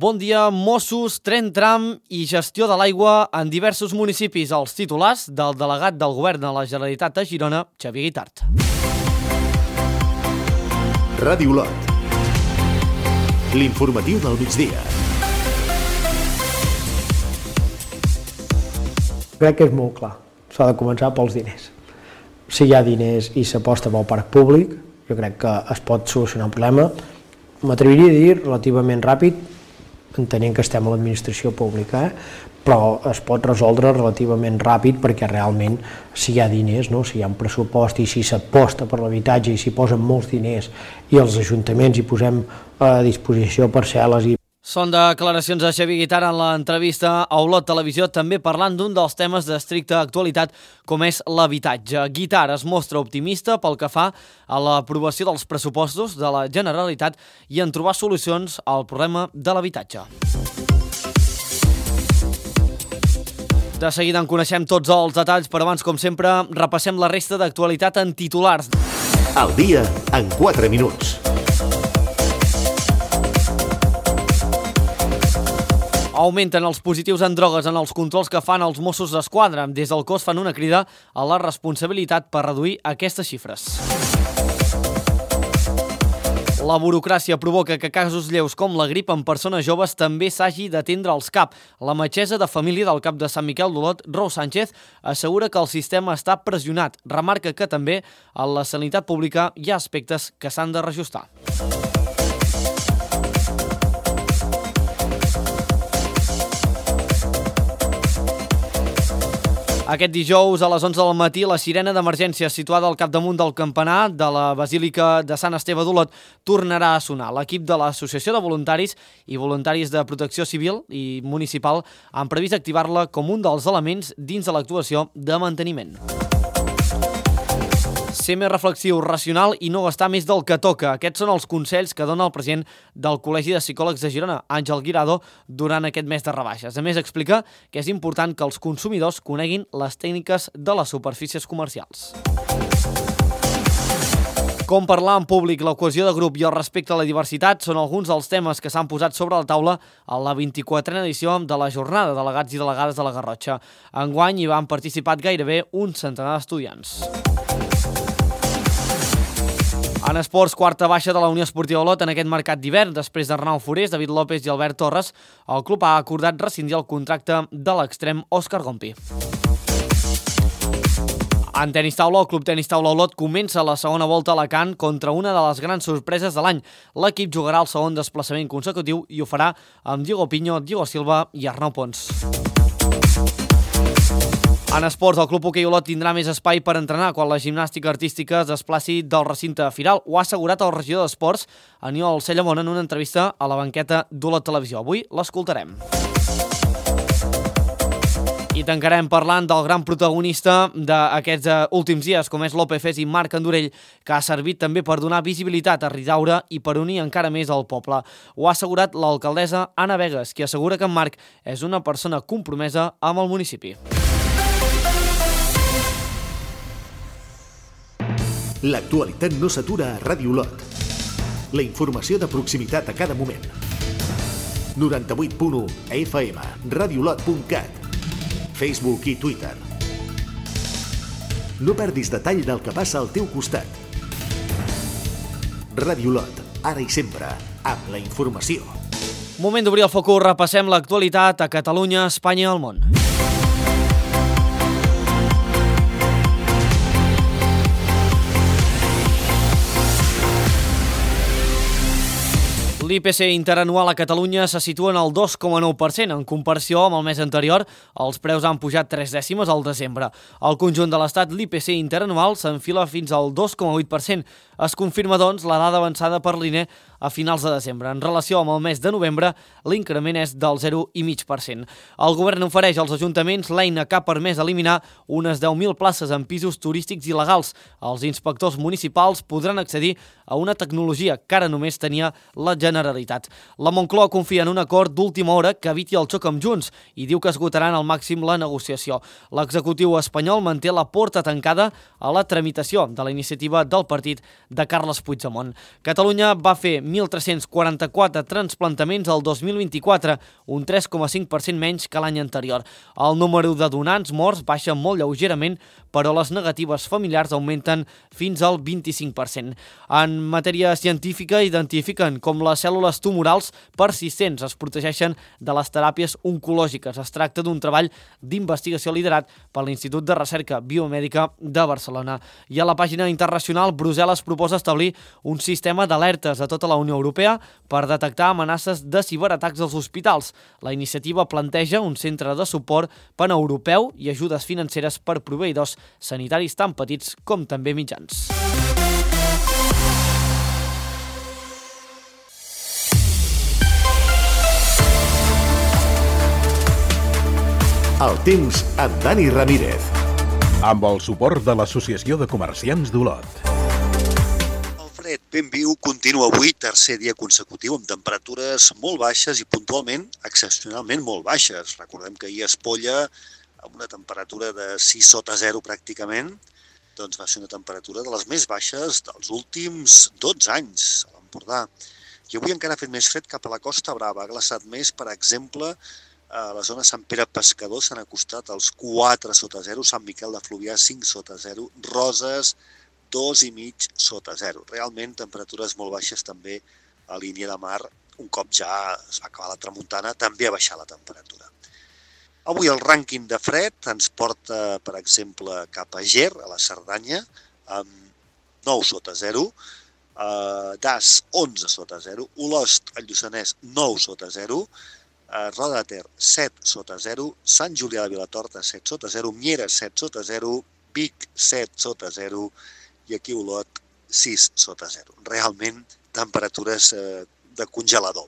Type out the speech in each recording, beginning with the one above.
Bon dia, Mossos, tren tram i gestió de l'aigua en diversos municipis. Els titulars del delegat del Govern de la Generalitat a Girona, Xavier Guitart. Ràdio Lot. L'informatiu del migdia. Crec que és molt clar. S'ha de començar pels diners. Si hi ha diners i s'aposta pel parc públic, jo crec que es pot solucionar el problema. M'atreviria a dir relativament ràpid, entenent que estem a l'administració pública, però es pot resoldre relativament ràpid perquè realment si hi ha diners, no? Si hi ha un pressupost i si s'aposta per l'habitatge i s'hi posen molts diners i els ajuntaments hi posem a disposició parcel·les i Són declaracions de Xavier Guitart en l'entrevista a Olot Televisió, també parlant d'un dels temes d'estricta actualitat com és l'habitatge. Guitart es mostra optimista pel que fa a l'aprovació dels pressupostos de la Generalitat i en trobar solucions al problema de l'habitatge. De seguida en coneixem tots els detalls, però abans, com sempre, repassem la resta d'actualitat en titulars. Al dia en 4 minuts. Augmenten els positius en drogues en els controls que fan els Mossos d'Esquadra. Des del cos fan una crida a la responsabilitat per reduir aquestes xifres. La burocràcia provoca que casos lleus com la grip en persones joves també s'hagi d'atendre als CAP. La metgessa de família del CAP de Sant Miquel d'Olot, Rose Sánchez, assegura que el sistema està pressionat. Remarca que també a la sanitat pública hi ha aspectes que s'han de reajustar. Aquest dijous, a les 11 del matí, la sirena d'emergència situada al capdamunt del campanar de la Basílica de Sant Esteve d'Olot tornarà a sonar. L'equip de l'Associació de Voluntaris i Voluntaris de Protecció Civil i Municipal han previst activar-la com un dels elements dins de l'actuació de manteniment. Ser més reflexiu, racional i no gastar més del que toca. Aquests són els consells que dona el president del Col·legi de Psicòlegs de Girona, Àngel Guirado, durant aquest mes de rebaixes. A més, explica que és important que els consumidors coneguin les tècniques de les superfícies comercials. Com parlar en públic, la cohesió de grup i el respecte a la diversitat són alguns dels temes que s'han posat sobre la taula a la 24a edició de la jornada de delegats i delegades de la Garrotxa. Enguany hi van participar gairebé un centenar d'estudiants. En esports, quarta baixa de la Unió Esportiva Olot en aquest mercat d'hivern. Després d'Arnau Forés, David López i Albert Torres, el club ha acordat rescindir el contracte de l'extrem Òscar Gompi. En tenis taula, el Club Tenis Taula Olot comença la segona volta a Alacant contra una de les grans sorpreses de l'any. L'equip jugarà el segon desplaçament consecutiu i ho farà amb Diego Piño, Diego Silva i Arnau Pons. En esports, el Club Hoquei Olot tindrà més espai per entrenar quan la gimnàstica artística es desplaci del recinte firal. Ho ha assegurat el regidor d'Esports, Aniol Cellamón, en una entrevista a la banqueta d'Olot Televisió. Avui l'escoltarem. I tancarem parlant del gran protagonista d'aquests últims dies, com és Lope Fes i Marc Andorell, que ha servit també per donar visibilitat a Ridaura i per unir encara més el poble. Ho ha assegurat l'alcaldessa Anna Vegas, qui assegura que en Marc és una persona compromesa amb el municipi. L'actualitat no s'atura a Ràdio Lot. La informació de proximitat a cada moment. 98.1 FM, radiolot.cat, Facebook i Twitter. No perdis detall del que passa al teu costat. Ràdio Lot, ara i sempre, amb la informació. Moment d'obrir el focus, repassem l'actualitat a Catalunya, Espanya i el món. L'IPC interanual a Catalunya se situa en el 2,9%. En comparació amb el mes anterior, els preus han pujat 3 dècimes al desembre. Al conjunt de l'Estat, l'IPC interanual s'enfila fins al 2,8%. Es confirma, doncs, la dada avançada per l'INE a finals de desembre. En relació amb el mes de novembre, l'increment és del 0,5%. El govern ofereix als ajuntaments l'eina que ha permès eliminar unes 10.000 places en pisos turístics il·legals. Els inspectors municipals podran accedir a una tecnologia que ara només tenia la Generalitat. La Moncloa confia en un acord d'última hora que eviti el xoc amb Junts i diu que esgotaran al màxim la negociació. L'executiu espanyol manté la porta tancada a la tramitació de la iniciativa del partit de Carles Puigdemont. Catalunya va fer 1.344 transplantaments el 2024, un 3,5% menys que l'any anterior. El número de donants morts baixa molt lleugerament, però les negatives familiars augmenten fins al 25%. En matèria científica, identifiquen com les cèl·lules tumorals persistents es protegeixen de les teràpies oncològiques. Es tracta d'un treball d'investigació liderat per l'Institut de Recerca Biomèdica de Barcelona. I a la pàgina internacional, Brussel·les proposa establir un sistema d'alertes a tota la Unió Europea per detectar amenaces de ciberatacs als hospitals. La iniciativa planteja un centre de suport paneuropeu i ajudes financeres per proveïdors sanitaris tan petits com també mitjans. El temps amb Dani Ramírez. Amb el suport de l'Associació de Comerciants d'Olot. El fred ben viu continua avui, tercer dia consecutiu, amb temperatures molt baixes i puntualment, excepcionalment molt baixes. Recordem que ahir a Espolla, amb una temperatura de 6 sota 0 pràcticament, doncs va ser una temperatura de les més baixes dels últims 12 anys a l'Empordà. I avui encara ha fet més fred cap a la Costa Brava. Ha glaçat més, per exemple, a la zona Sant Pere Pescador s'han acostat als 4 sota 0, Sant Miquel de Fluvià 5 sota 0, Roses 2,5 sota 0. Realment temperatures molt baixes també a línia de mar. Un cop ja es va acabar la tramuntana, també ha baixat la temperatura. Avui el rànquing de fred ens porta, per exemple, cap a Ger, a la Cerdanya, amb 9 sota 0, Das 11 sota 0, Olost, al Lluçanès, 9 sota 0, Roda de Ter, 7 sota 0, Sant Julià de Vilatorta, 7 sota 0, Mieres, 7 sota 0, Vic, 7 sota 0 i aquí Olot, 6 sota 0. Realment, temperatures de congelador.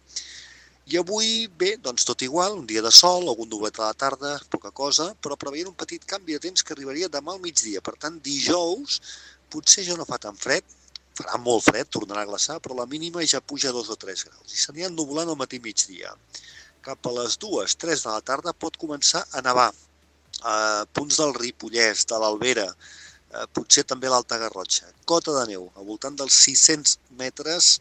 I avui, bé, doncs tot igual, un dia de sol, algun nublet a la tarda, poca cosa, però preveient un petit canvi de temps que arribaria demà al migdia. Per tant, dijous, potser ja no fa tan fred, farà molt fred, tornarà a glaçar, però la mínima ja puja 2 o 3 graus. I s'anirà ennubulant al matí migdia. Cap a les 2, 3 de la tarda pot començar a nevar. A punts del Ripollès, de l'Albera, potser també l'Alta Garrotxa. Cota de neu, al voltant dels 600 metres,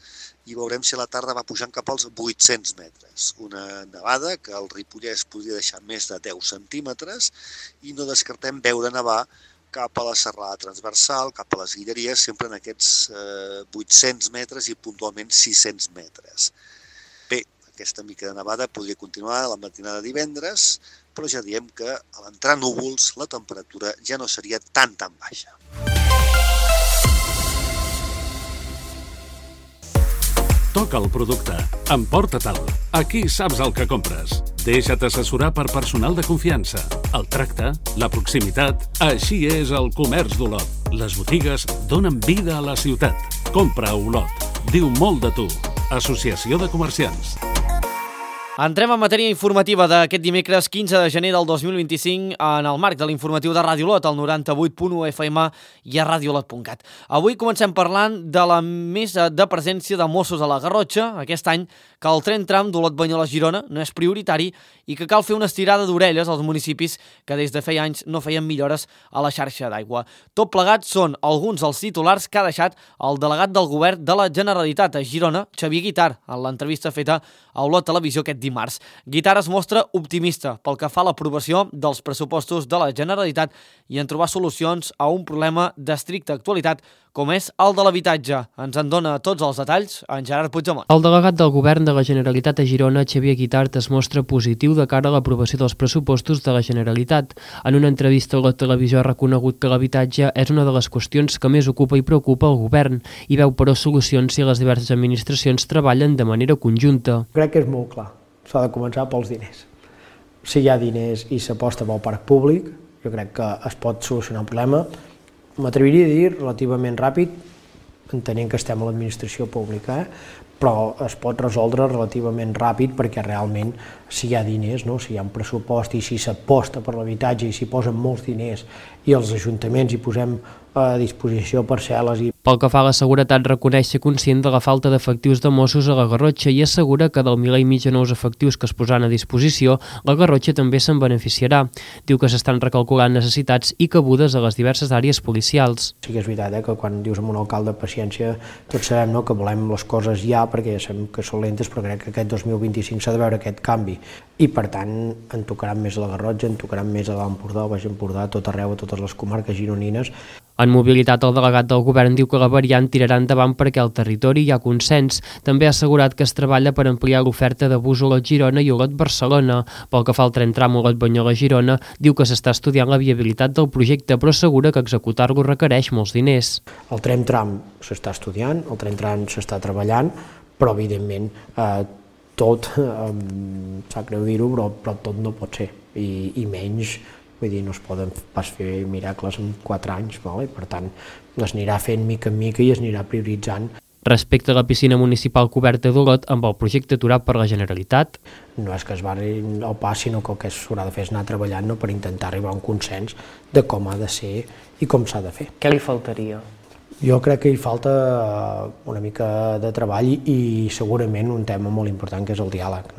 i veurem si a la tarda va pujant cap als 800 metres. Una nevada que al Ripollès podria deixar més de 10 centímetres i no descartem veure nevar cap a la serralada transversal, cap a les Guilleries, sempre en aquests 800 metres i puntualment 600 metres. Bé, aquesta mica de nevada podria continuar a la matinada de divendres, però ja diem que a l'entrar núvols la temperatura ja no seria tan baixa. Toca el producte. Emporta-te'l. Aquí saps el que compres. Deixa't assessorar per personal de confiança. El tracte, la proximitat... Així és el comerç d'Olot. Les botigues donen vida a la ciutat. Compra a Olot. Diu molt de tu. Associació de Comerciants. Entrem en matèria informativa d'aquest dimecres 15 de gener del 2025 en el marc de l'informatiu de Ràdio Olot, al 98.1 FM i a radioolot.cat. Avui comencem parlant de la mesa de presència de Mossos a la Garrotxa aquest any, que el tren tram d'Olot-Banyoles-Girona no és prioritari i que cal fer una estirada d'orelles als municipis que des de feia anys no feien millores a la xarxa d'aigua. Tot plegat són alguns dels titulars que ha deixat el delegat del govern de la Generalitat a Girona, Xavier Guitart, en l'entrevista feta a Olot Televisió aquest dimarts. Guitart es mostra optimista pel que fa a l'aprovació dels pressupostos de la Generalitat i en trobar solucions a un problema d'estricta actualitat com és el de l'habitatge. Ens en dona tots els detalls en Gerard Puigdemont. El delegat del govern de la Generalitat a Girona, Xavier Guitart, es mostra positiu de cara a l'aprovació dels pressupostos de la Generalitat. En una entrevista a la televisió ha reconegut que l'habitatge és una de les qüestions que més ocupa i preocupa el govern i veu però solucions si les diverses administracions treballen de manera conjunta. Crec que és molt clar. S'ha de començar pels diners. Si hi ha diners i s'aposta pel parc públic, jo crec que es pot solucionar un problema. M'atreviria a dir relativament ràpid, entenent que estem a l'administració pública, però es pot resoldre relativament ràpid perquè realment si hi ha diners, no? Si hi ha un pressupost i si s'aposta per l'habitatge i s'hi posen molts diners i els ajuntaments hi posem a disposició parcel·les. Pel que fa a la seguretat, reconeix ser conscient de la falta d'efectius de Mossos a la Garrotxa i assegura que del 1.500 de nous efectius que es posaran a disposició, la Garrotxa també se'n beneficiarà. Diu que s'estan recalculant necessitats i cabudes a les diverses àrees policials. Sí que és veritat que quan dius amb un alcalde paciència, tots sabem que volem les coses ja, perquè ja sabem que són lentes, però crec que aquest 2025 s'ha de veure aquest canvi. I per tant en tocaran més a la Garrotxa, en tocaran més a l'Empordà, al Baix Empordà, a tot arreu, a totes les comarques gironines. En mobilitat, el delegat del govern diu que la variant tirarà endavant perquè al territori hi ha consens. També ha assegurat que es treballa per ampliar l'oferta de bus Olot-Girona i Olot-Barcelona. Pel que fa al tren tram Olot-Banyoles-Girona, diu que s'està estudiant la viabilitat del projecte, però assegura que executar-lo requereix molts diners. El tren tram s'està estudiant, el tren tram s'està treballant, però evidentment tot, sap greu dir-ho, però tot no pot ser, i menys. Vull dir, no es poden pas fer miracles en 4 anys, i per tant es anirà fent mica en mica i es anirà prioritzant. Respecte a la piscina municipal coberta d'Olot, amb el projecte aturat per la Generalitat. No és que es barri el pas, sinó que el que s'haurà de fer és anar treballant per intentar arribar a un consens de com ha de ser i com s'ha de fer. Què li faltaria? Jo crec que hi falta una mica de treball i segurament un tema molt important que és el diàleg,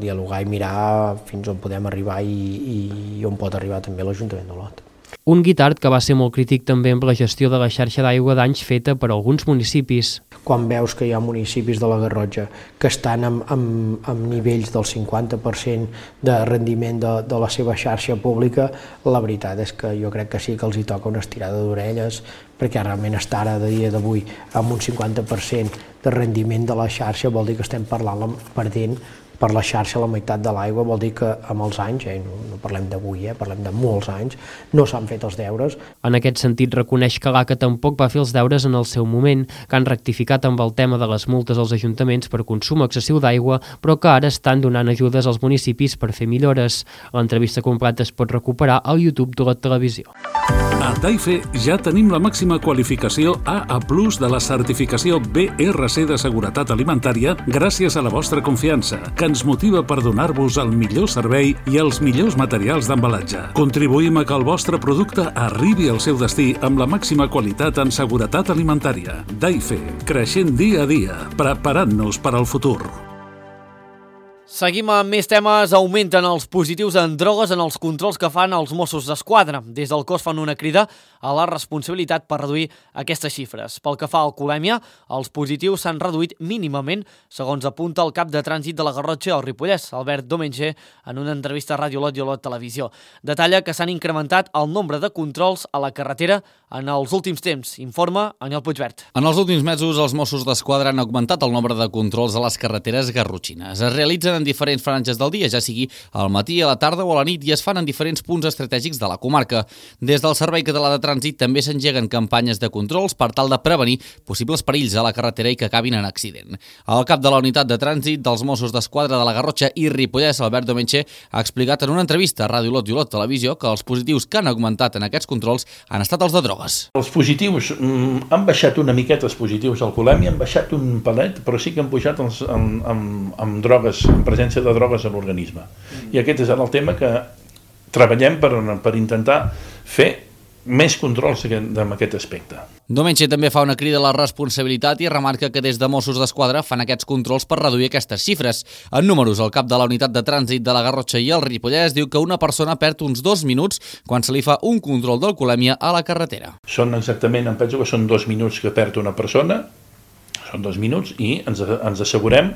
dialogar i mirar fins on podem arribar i on pot arribar també l'Ajuntament d'Olot. Un Guitart que va ser molt crític també amb la gestió de la xarxa d'aigua d'anys feta per alguns municipis. Quan veus que hi ha municipis de la Garrotxa que estan amb nivells del 50% de rendiment de la seva xarxa pública, la veritat és que jo crec que sí que els hi toca una estirada d'orelles, perquè realment estar ara, de dia d'avui, amb un 50% de rendiment de la xarxa vol dir que estem perdent per la xarxa la meitat de l'aigua, vol dir que amb els anys, no parlem d'avui, parlem de molts anys, no s'han fet els deures. En aquest sentit, reconeix que l'ACA tampoc va fer els deures en el seu moment, que han rectificat amb el tema de les multes als ajuntaments per consum excessiu d'aigua, però que ara estan donant ajudes als municipis per fer millores. L'entrevista completa es pot recuperar al YouTube de la televisió. A Taife ja tenim la màxima qualificació AA+ de la certificació BRC de seguretat alimentària gràcies a la vostra confiança, que ens motiva per donar-vos el millor servei i els millors materials d'embalatge. Contribuïm a que el vostre producte arribi al seu destí amb la màxima qualitat en seguretat alimentària. Taife, creixent dia a dia, preparant-nos per al futur. Seguim amb més temes. Augmenten els positius en drogues en els controls que fan els Mossos d'Esquadra. Des del cos fan una crida a la responsabilitat per reduir aquestes xifres. Pel que fa a alcoholèmia, els positius s'han reduït mínimament, segons apunta el cap de trànsit de la Garrotxa al Ripollès, Albert Domenge, en una entrevista a Ràdio Olot i Olot Televisió. Detalla que s'han incrementat el nombre de controls a la carretera en els últims temps. Informa Aniol Puigvert. En els últims mesos, els Mossos d'Esquadra han augmentat el nombre de controls a les carreteres garrotxines. Es realitzen en diferents franges del dia, ja sigui al matí, a la tarda o a la nit, i es fan en diferents punts estratègics de la comarca. Des del Servei Català de Trànsit també s'engeguen campanyes de controls per tal de prevenir possibles perills a la carretera i que acabin en accident. El cap de la unitat de trànsit dels Mossos d'Esquadra de la Garrotxa i Ripollès, Albert Domenge, ha explicat en una entrevista a Ràdio Olot i Olot Televisió que els positius que han augmentat en aquests controls han estat els de drogues. Els positius han baixat una miqueta, els positius alcoholèmia, han baixat un pelet, però sí que han pujat amb drogues, en presència de drogues a l'organisme. I aquest és el tema que treballem per intentar fer més controls en aquest aspecte. Domenge també fa una crida a la responsabilitat i remarca que des de Mossos d'Esquadra fan aquests controls per reduir aquestes xifres. En números, el cap de la unitat de trànsit de la Garrotxa i el Ripollès diu que una persona perd uns 2 minuts quan se li fa un control d'alcoholèmia a la carretera. Són exactament, em penso que són 2 minuts que perd una persona, són 2 minuts, i ens assegurem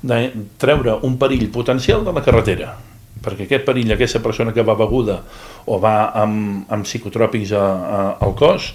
de treure un perill potencial de la carretera, perquè aquest perill, aquesta persona que va beguda o va amb psicotròpics al cos,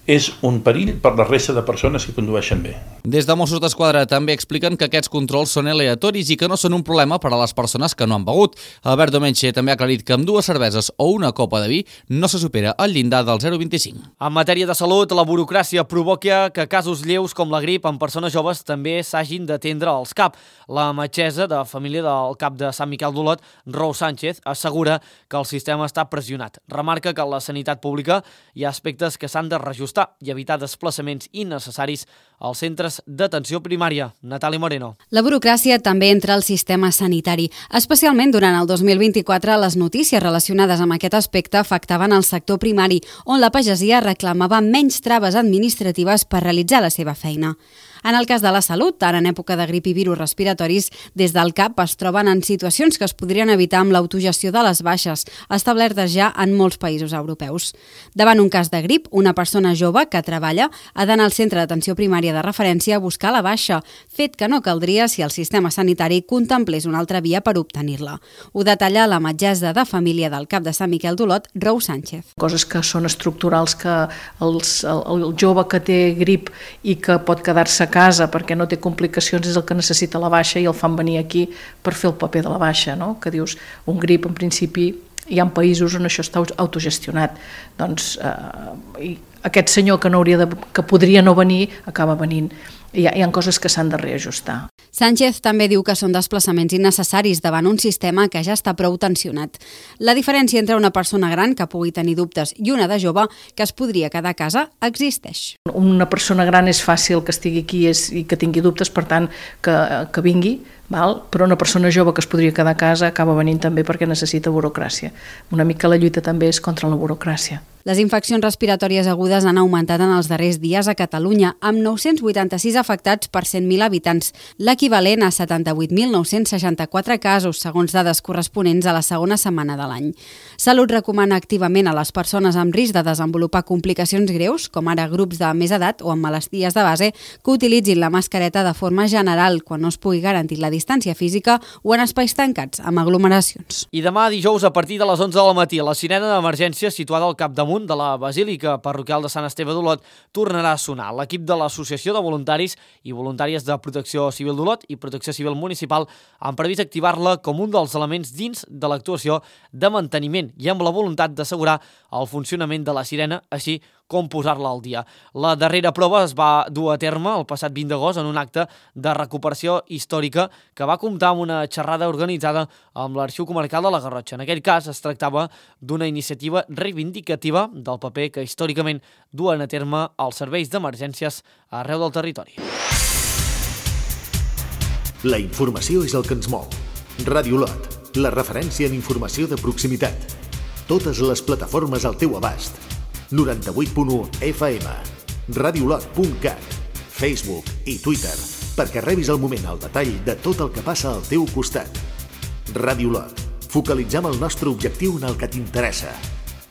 és un perill per la resta de persones que condueixen bé. Des de Mossos d'Esquadra també expliquen que aquests controls són aleatoris i que no són un problema per a les persones que no han begut. Albert Domenge també ha aclarit que amb 2 cerveses o una copa de vi no se supera el llindar del 0,25. En matèria de salut, la burocràcia provoca que casos lleus com la grip en persones joves també s'hagin d'atendre als CAP. La metgessa de família del CAP de Sant Miquel d'Olot, Rous Sánchez, assegura que el sistema està pressionat. Remarca que en la sanitat pública hi ha aspectes que s'han de reajustar, ajustar i evitar desplaçaments innecessaris als centres d'atenció primària. Natàlia Moreno. La burocràcia també entra al sistema sanitari. Especialment durant el 2024, les notícies relacionades amb aquest aspecte afectaven el sector primari, on la pagesia reclamava menys traves administratives per realitzar la seva feina. En el cas de la salut, ara en època de grip i virus respiratoris, des del CAP es troben en situacions que es podrien evitar amb l'autogestió de les baixes, establertes ja en molts països europeus. Davant un cas de grip, una persona jove que treballa ha d'anar al centre d'atenció primària de referència a buscar la baixa, fet que no caldria si el sistema sanitari contemplés una altra via per obtenir-la. Ho detalla la metgessa de família del CAP de Sant Miquel d'Olot, Rou Sánchez. Coses que són estructurals, que el jove que té grip i que pot quedar-se a casa perquè no té complicacions és el que necessita la baixa i el fan venir aquí per fer el paper de la baixa, no? Que dius, un grip en principi hi ha països on això està autogestionat. Doncs aquest senyor que podria no venir acaba venint. Hi ha coses que s'han de reajustar. Sánchez també diu que són desplaçaments innecessaris davant un sistema que ja està prou tensionat. La diferència entre una persona gran que pugui tenir dubtes i una de jove que es podria quedar a casa existeix. Una persona gran és fàcil que estigui aquí i que tingui dubtes, per tant, que vingui, però una persona jove que es podria quedar a casa acaba venint també perquè necessita burocràcia. Una mica la lluita també és contra la burocràcia. Les infeccions respiratòries agudes han augmentat en els darrers dies a Catalunya, amb 986 afectats per 100.000 habitants, l'equivalent a 78.964 casos, segons dades corresponents a la segona setmana de l'any. Salut recomana activament a les persones amb risc de desenvolupar complicacions greus, com ara grups de més edat o amb malalties de base, que utilitzin la mascareta de forma general quan no es pugui garantir la distància física o en espais tancats, amb aglomeracions. I demà dijous, a partir de les 11 del matí, la sirena d'emergència situada al capdamunt de la Basílica Parroquial de Sant Esteve d'Olot tornarà a sonar. L'equip de l'Associació de Voluntaris i Voluntàries de Protecció Civil d'Olot i Protecció Civil Municipal han previst activar-la com un dels elements dins de l'actuació de manteniment i amb la voluntat d'assegurar el funcionament de la sirena, així com posar-la al dia. La darrera prova es va dur a terme el passat 20 d'agost en un acte de recuperació històrica que va comptar amb una xerrada organitzada amb l'Arxiu Comarcal de la Garrotxa. En aquell cas es tractava d'una iniciativa reivindicativa del paper que històricament duen a terme els serveis d'emergències arreu del territori. La informació és el que ens mou. Ràdio Olot, la referència en informació de proximitat. Totes les plataformes al teu abast. 98.1 FM, radiolot.cat, Facebook i Twitter, perquè rebis al moment el detall de tot el que passa al teu costat. Ràdio Olot, focalitzem el nostre objectiu en el que t'interessa.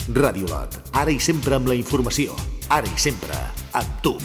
Ràdio Olot, ara i sempre amb la informació, ara i sempre amb tu.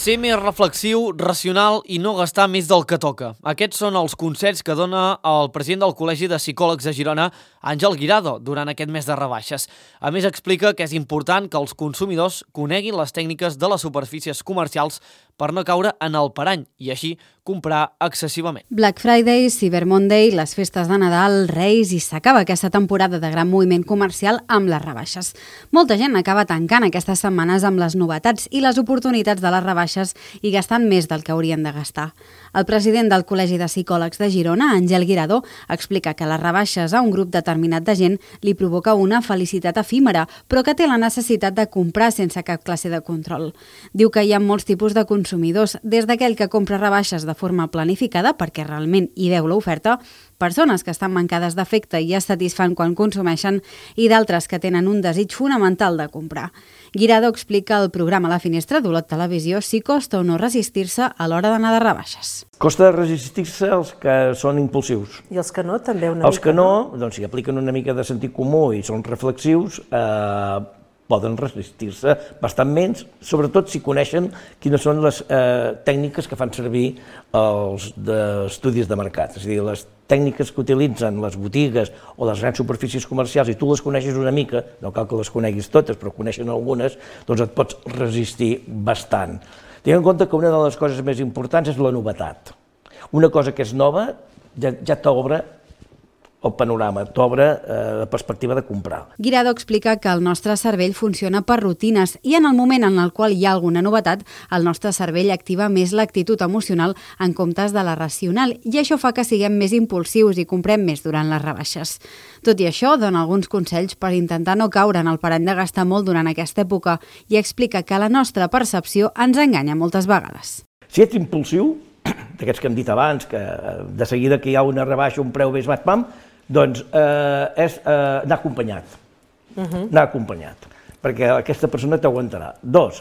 Ser més reflexiu, racional i no gastar més del que toca. Aquests són els consells que dona el president del Col·legi de Psicòlegs de Girona, Àngel Guirado, durant aquest mes de rebaixes. A més, explica que és important que els consumidors coneguin les tècniques de les superfícies comercials per no caure en el parany i així comprar excessivament. Black Friday, Cyber Monday, les festes de Nadal, Reis i s'acaba aquesta temporada de gran moviment comercial amb les rebaixes. Molta gent acaba tancant aquestes setmanes amb les novetats i les oportunitats de les rebaixes i gastant més del que haurien de gastar. El president del Col·legi de Psicòlegs de Girona, Àngel Guirado, explica que les rebaixes a un grup determinat de gent li provoca una felicitat efímera, però que té la necessitat de comprar sense cap classe de control. Diu que hi ha molts tipus de consumidors, des d'aquell que compra rebaixes de forma planificada perquè realment hi veu l'oferta, persones que estan mancades d'afecte i es satisfan quan consumeixen i d'altres que tenen un desig fonamental de comprar. Guirado explica al programa La Finestra d'Olot Televisió si costa o no resistir-se a l'hora d'anar de rebaixes. Costa resistir-se els que són impulsius. I els que no, també una mica? Els que no, doncs si apliquen una mica de sentit comú i són reflexius, poden resistir-se bastant menys, sobretot si coneixen quines són les tècniques que fan servir els estudis de mercat, és a dir, les tècniques que utilitzen les botigues o les grans superfícies comercials i tu les coneixes una mica, no cal que les coneguis totes, però coneixen algunes, doncs et pots resistir bastant. Tinc en compte que una de les coses més importants és la novetat. Una cosa que és nova ja t'obre el panorama, t'obre la perspectiva de comprar. Guirado explica que el nostre cervell funciona per rutines i en el moment en el qual hi ha alguna novetat, el nostre cervell activa més l'actitud emocional en comptes de la racional i això fa que siguem més impulsius i comprem més durant les rebaixes. Tot i això, dona alguns consells per intentar no caure en el parany de gastar molt durant aquesta època i explica que la nostra percepció ens enganya moltes vegades. Si ets impulsiu, d'aquests que hem dit abans, que de seguida que hi ha una rebaixa, un preu més baix, pam, doncs és anar acompanyat. Anar acompanyat, perquè aquesta persona t'aguantarà. 2,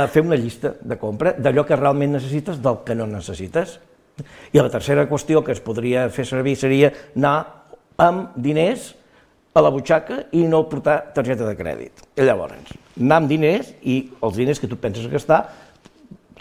fer una llista de compra d'allò que realment necessites del que no necessites. I la tercera qüestió que es podria fer servir seria anar amb diners a la butxaca i no portar targeta de crèdit. I llavors, anar amb diners i els diners que tu penses gastar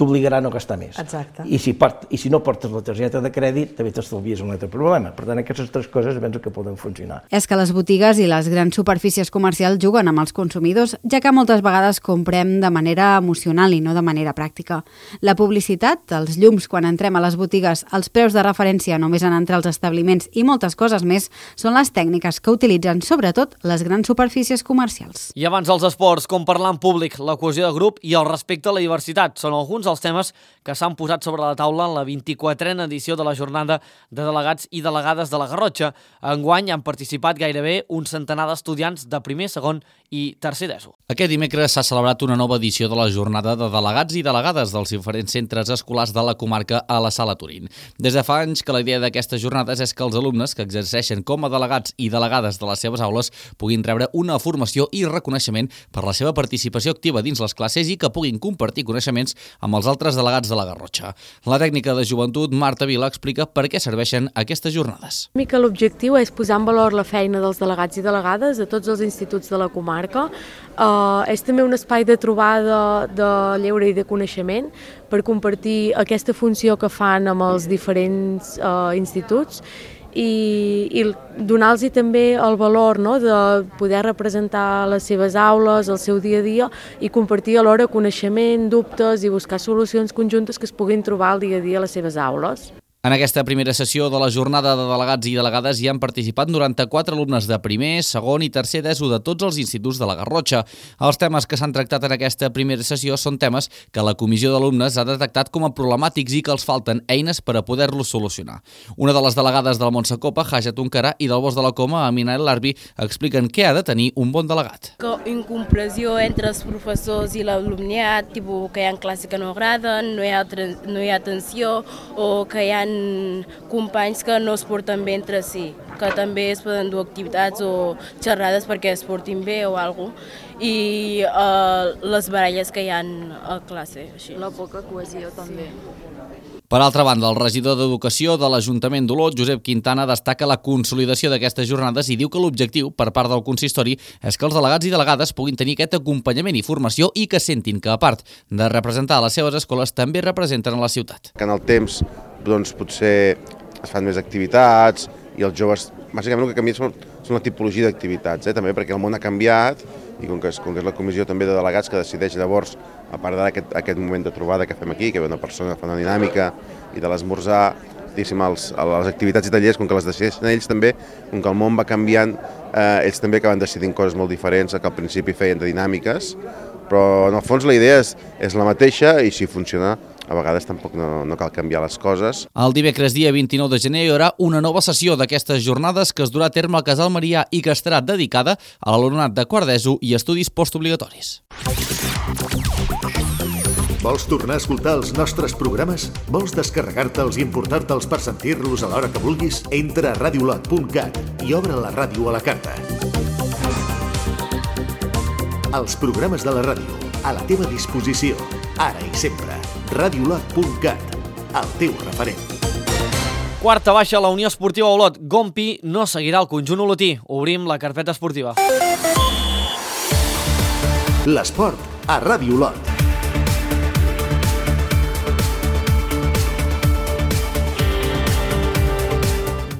t'obligarà a no gastar més. Exacte. I si no portes la targeta de crèdit, també t'estalvies un altre problema. Per tant, aquestes 3 coses penso que poden funcionar. És que les botigues i les grans superfícies comercials juguen amb els consumidors, ja que moltes vegades comprem de manera emocional i no de manera pràctica. La publicitat, els llums quan entrem a les botigues, els preus de referència només en entrar als establiments i moltes coses més són les tècniques que utilitzen sobretot les grans superfícies comercials. I abans els esports, com parlar en públic, la cohesió de grup i el respecte a la diversitat són alguns dels temes que s'han posat sobre la taula en la 24a edició de la jornada de delegats i delegades de la Garrotxa. Enguany han participat gairebé un centenar d'estudiants de primer, segon i tercer d'ESO. Aquest dimecres s'ha celebrat una nova edició de la jornada de delegats i delegades dels diferents centres escolars de la comarca a la Sala Turín. Des de fa anys que la idea d'aquestes jornades és que els alumnes que exerceixen com a delegats i delegades de les seves aules puguin rebre una formació i reconeixement per la seva participació activa dins les classes i que puguin compartir coneixements amb els altres delegats de la Garrotxa. La tècnica de joventut, Marta Vila, explica per què serveixen aquestes jornades. L'objectiu és posar en valor la feina dels delegats i delegades de tots els instituts de la comarca. És també un espai de trobada, de lleure i de coneixement per compartir aquesta funció que fan amb els diferents instituts i donar-los també el valor de poder representar les seves aules, el seu dia a dia i compartir alhora coneixement, dubtes i buscar solucions conjuntes que es puguin trobar al dia a dia a les seves aules. En aquesta primera sessió de la jornada de delegats i delegades hi han participat 94 alumnes de primer, segon i tercer d'ESO de tots els instituts de la Garrotxa. Els temes que s'han tractat en aquesta primera sessió són temes que la comissió d'alumnes ha detectat com a problemàtics i que els falten eines per a poder-los solucionar. Una de les delegades del Montsecopa, Haja Tuncarà, i del Bosc de la Coma, Amina El Larbi, expliquen què ha de tenir un bon delegat. Incomprensió entre els professors i l'alumniat, que hi ha classes que no agraden, no hi ha atenció o que hi ha companys que no es porten bé entre si, que també es poden dur activitats o xerrades perquè es portin bé o alguna cosa, i les baralles que hi ha a classe. Així. La poca cohesió també. Per altra banda, el regidor d'Educació de l'Ajuntament d'Olot, Josep Quintana, destaca la consolidació d'aquestes jornades i diu que l'objectiu per part del consistori és que els delegats i delegades puguin tenir aquest acompanyament i formació i que sentin que, a part de representar les seves escoles, també representen a la ciutat. Que en el temps potser es fan més activitats i els joves, bàsicament el que canvia són la tipologia d'activitats, també perquè el món ha canviat i com que és la comissió també de delegats que decideix llavors, a part d'aquest moment de trobada que fem aquí, que ve una persona que fa una dinàmica i de l'esmorzar, les activitats i tallers, com que les decideixen ells també, com que el món va canviant, ells també acaben decidint coses molt diferents que al principi feien de dinàmiques, però en el fons la idea és la mateixa i si funciona a vegades tampoc no cal canviar les coses. El dimecres dia 29 de gener hi haurà una nova sessió d'aquestes jornades que es durà a terme al Casal Marià i que estarà dedicada a l'alumnat de quart d'ESO i estudis postobligatoris. Vols tornar a escoltar els nostres programes? Vols descarregar-te'ls i emportar-te'ls per sentir-los a l'hora que vulguis? Entra a radiolot.cat i obre la ràdio a la carta. Els programes de la ràdio, a la teva disposició, ara i sempre. Radiolot.cat, el teu referent. Quarta baixa a la Unió Esportiva Olot. Gompi no seguirà el conjunt olotí. Obrim la carpeta esportiva. L'esport a Ràdio Olot.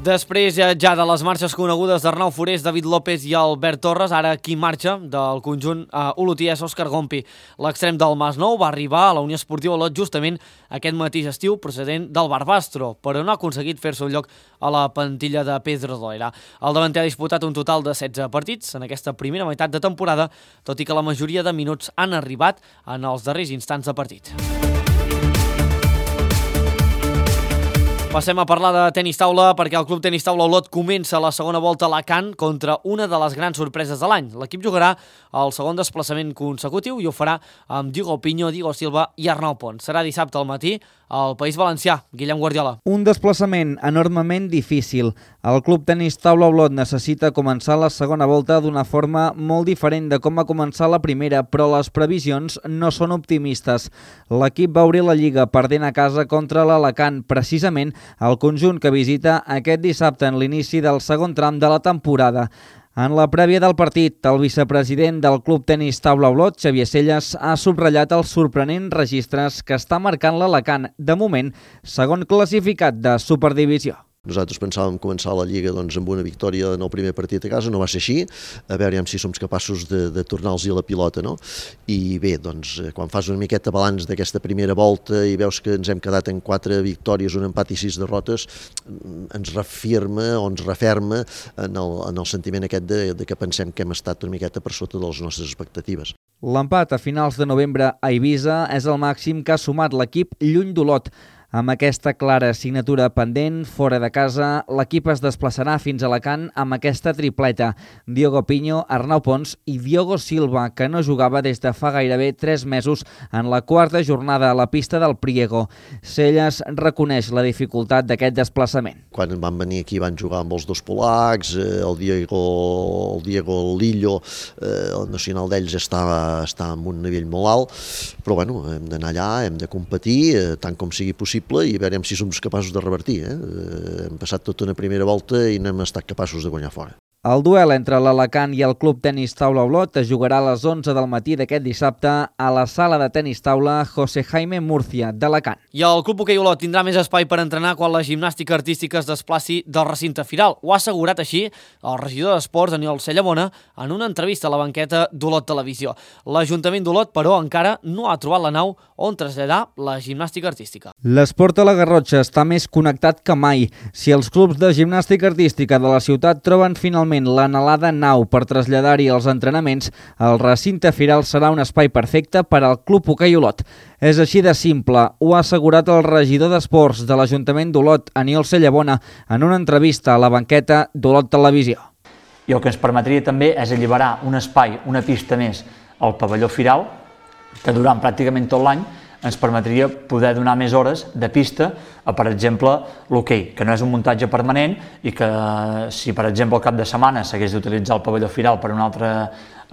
Després ja de les marxes conegudes d'Arnau Forés, David López i Albert Torres, ara qui marxa del conjunt olotí és Òscar Gompi. L'extrem del Masnou va arribar a la Unió Esportiva Olot justament aquest mateix estiu procedent del Barbastro, però no ha aconseguit fer-se un lloc a la plantilla de Pedro Doera. El davanter ha disputat un total de 16 partits en aquesta primera meitat de temporada, tot i que la majoria de minuts han arribat en els darrers instants de partit. Passem a parlar de tenis taula perquè el Club Tenis Taula Olot comença la segona volta a Alacant contra una de les grans sorpreses de l'any. L'equip jugarà el segon desplaçament consecutiu i ho farà amb Diego Piño, Diego Silva i Arnau Pons. Serà dissabte al matí al País Valencià. Guillem Guardiola. Un desplaçament enormement difícil. El Club Tenis Taula Olot necessita començar la segona volta d'una forma molt diferent de com va començar la primera, però les previsions no són optimistes. L'equip va obrir la Lliga perdent a casa contra l'Alacant, precisament el conjunt que visita aquest dissabte en l'inici del segon tram de la temporada. En la prèvia del partit, el vicepresident del Club Tenis Taula Olot, Xavier Selles, ha subratllat els sorprenents registres que està marcant l'Alacant, de moment, segon classificat de Superdivisió. Nosaltres pensàvem començar la Lliga amb una victòria en el primer partit a casa, no va ser així, a veure si som capaços de tornar-los la pilota, no? I bé, quan fas una miqueta balanç d'aquesta primera volta i veus que ens hem quedat en 4 victòries, un empat i 6 derrotes, ens referma en el sentiment aquest de que pensem que hem estat una miqueta per sota de les nostres expectatives. L'empat a finals de novembre a Eivissa és el màxim que ha sumat l'equip lluny d'Olot. Amb aquesta clara assignatura pendent, fora de casa, l'equip es desplaçarà fins a Alacant amb aquesta tripleta. Diego Piño, Arnau Pons i Diego Silva, que no jugava des de fa gairebé 3 mesos en la quarta jornada a la pista del Priego. Selles reconeix la dificultat d'aquest desplaçament. Quan van venir aquí van jugar amb els dos polacs, el Diego Lillo, el nacional d'ells està en un nivell molt alt, però bueno, hem d'anar allà, hem de competir tant com sigui possible i veurem si som capaços de revertir. Hem passat tota una primera volta i no hem estat capaços de guanyar fora. El duel entre l'Alacant i el Club Tenis Taula Olot es jugarà a les 11 del matí d'aquest dissabte a la sala de tenis taula José Jaime Murcia d'Alacant. I el Club Hoquei Olot tindrà més espai per entrenar quan la gimnàstica artística es desplaci del recinte firal. Ho ha assegurat així el regidor d'Esports, Aniol Cellamona, en una entrevista a la banqueta d'Olot Televisió. L'Ajuntament d'Olot, però, encara no ha trobat la nau on traslladar la gimnàstica artística. L'esport a la Garrotxa està més connectat que mai. Si els clubs de gimnàstica artística de la ciutat troben finalment l'anhelada nau per traslladar-hi els entrenaments, el recinte firal serà un espai perfecte per al Club Hoquei Olot. És així de simple, ho ha assegurat el regidor d'Esports de l'Ajuntament d'Olot, Aniol Cellamona, en una entrevista a la banqueta d'Olot Televisió. I el que ens permetria també és alliberar un espai, una pista més al pavelló firal, que durant pràcticament tot l'any ens permetria poder donar més hores de pista a, per exemple, l'hoquei, que no és un muntatge permanent i que si, per exemple, al cap de setmana s'hagués d'utilitzar el pavelló firal per un altre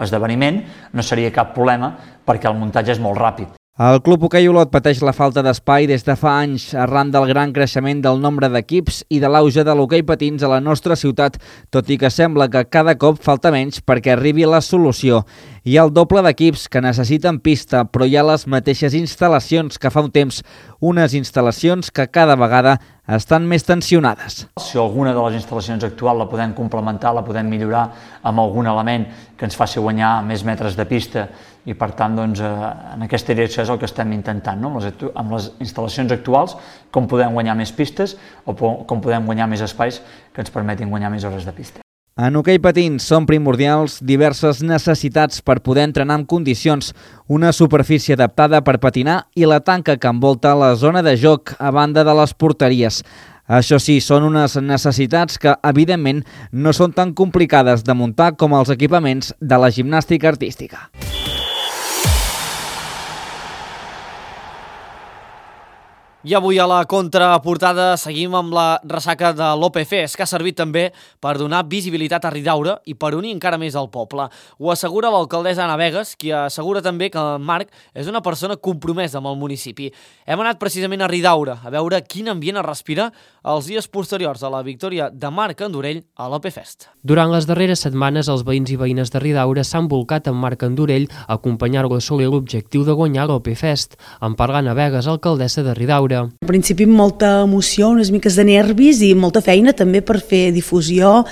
esdeveniment, no seria cap problema perquè el muntatge és molt ràpid. El Club Hoquei Olot pateix la falta d'espai des de fa anys arran del gran creixement del nombre d'equips i de l'auge de l'hoquei patins a la nostra ciutat, tot i que sembla que cada cop falta menys perquè arribi la solució. Hi ha el doble d'equips que necessiten pista, però hi ha les mateixes instal·lacions que fa un temps, unes instal·lacions que cada vegada estan més tensionades. Si alguna de les instal·lacions actuals la podem complementar, la podem millorar amb algun element que ens faci guanyar més metres de pista i per tant en aquesta direcció és el que estem intentant, no? Amb les instal·lacions actuals, com podem guanyar més pistes o com podem guanyar més espais que ens permetin guanyar més hores de pista. En hoquei patins són primordials diverses necessitats per poder entrenar en condicions, una superfície adaptada per patinar i la tanca que envolta la zona de joc a banda de les porteries. Això sí, són unes necessitats que, evidentment, no són tan complicades de muntar com els equipaments de la gimnàstica artística. I avui a la contraportada seguim amb la ressaca de l'OPFES, que ha servit també per donar visibilitat a Ridaura i per unir encara més el poble. Ho assegura l'alcaldessa Anna Vegas, qui assegura també que Marc és una persona compromesa amb el municipi. Hem anat precisament a Ridaura a veure quin ambient es respira els dies posteriors a la victòria de Marc Andorell a l'OP-Fest. Durant les darreres setmanes, els veïns i veïnes de Ridaura s'han volcat amb Marc Andorell a acompanyar-lo a assolir l'objectiu de guanyar l'OP-Fest. En parla Anna Vegas, alcaldessa de Ridaura. Al principi molta emoció, unes miques de nervis i molta feina també per fer difusió.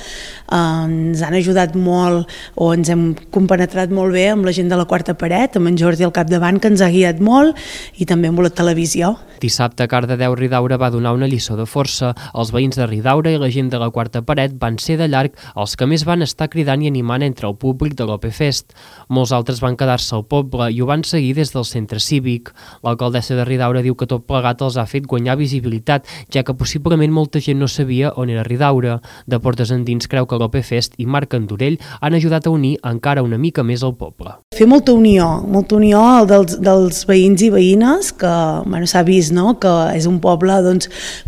Ens han ajudat molt o ens hem compenetrat molt bé amb la gent de la Quarta Paret, amb en Jordi al capdavant, que ens ha guiat molt, i també amb la televisió. Dissabte, Cardedeu Ridaura va donar una lliçó de força. Els veïns de Ridaura i la gent de la Quarta Paret van ser de llarg els que més van estar cridant i animant entre el públic de l'OP-Fest. Molts altres van quedar-se al poble i ho van seguir des del centre cívic. L'alcaldessa de Ridaura diu que tot plegat els ha fet guanyar visibilitat, ja que possiblement molta gent no sabia on era Ridaura. De portes endins creu que l'OP-Fest i Marc Andorell han ajudat a unir encara una mica més el poble. Fer molta unió dels veïns i veïnes, que s'ha vist, no? Que és un poble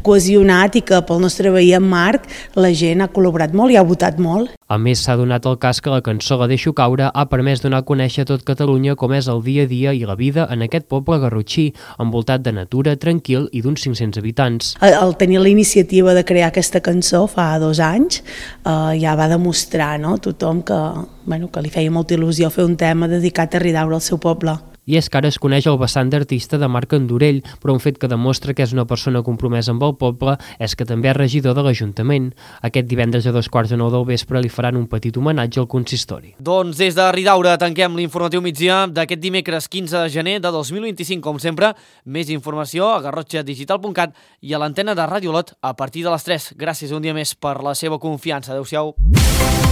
cohesionat i que pel nostre veí en Marc la gent ha col·laborat molt i ha votat molt. A més, s'ha donat el cas que la cançó La deixo caure ha permès donar a conèixer a tot Catalunya com és el dia a dia i la vida en aquest poble garrotxí, envoltat de natura, tranquil i d'uns 500 habitants. El tenir la iniciativa de crear aquesta cançó fa 2 anys ja va demostrar, no? Tothom que li feia molta il·lusió fer un tema dedicat a Ridaura, al seu poble. I és que ara es coneix el vessant d'artista de Marc Andorell, però un fet que demostra que és una persona compromesa amb el poble és que també és regidor de l'Ajuntament. Aquest divendres a 8:45 del vespre li faran un petit homenatge al consistori. Doncs des de Ridaura tanquem l'informatiu migdia d'aquest dimecres 15 de gener de 2025. Com sempre, més informació a garrotxadigital.cat i a l'antena de Ràdio Olot a partir de les 3. Gràcies un dia més per la seva confiança. Adéu-siau.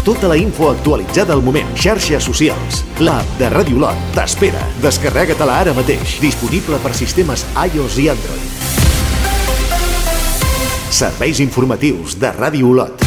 Tota la info actualitzada al moment. Xarxes socials. L'app de Ràdio Olot t'espera. Descarrega-te-la ara mateix. Disponible per sistemes iOS i Android. Serveis informatius de Ràdio Olot.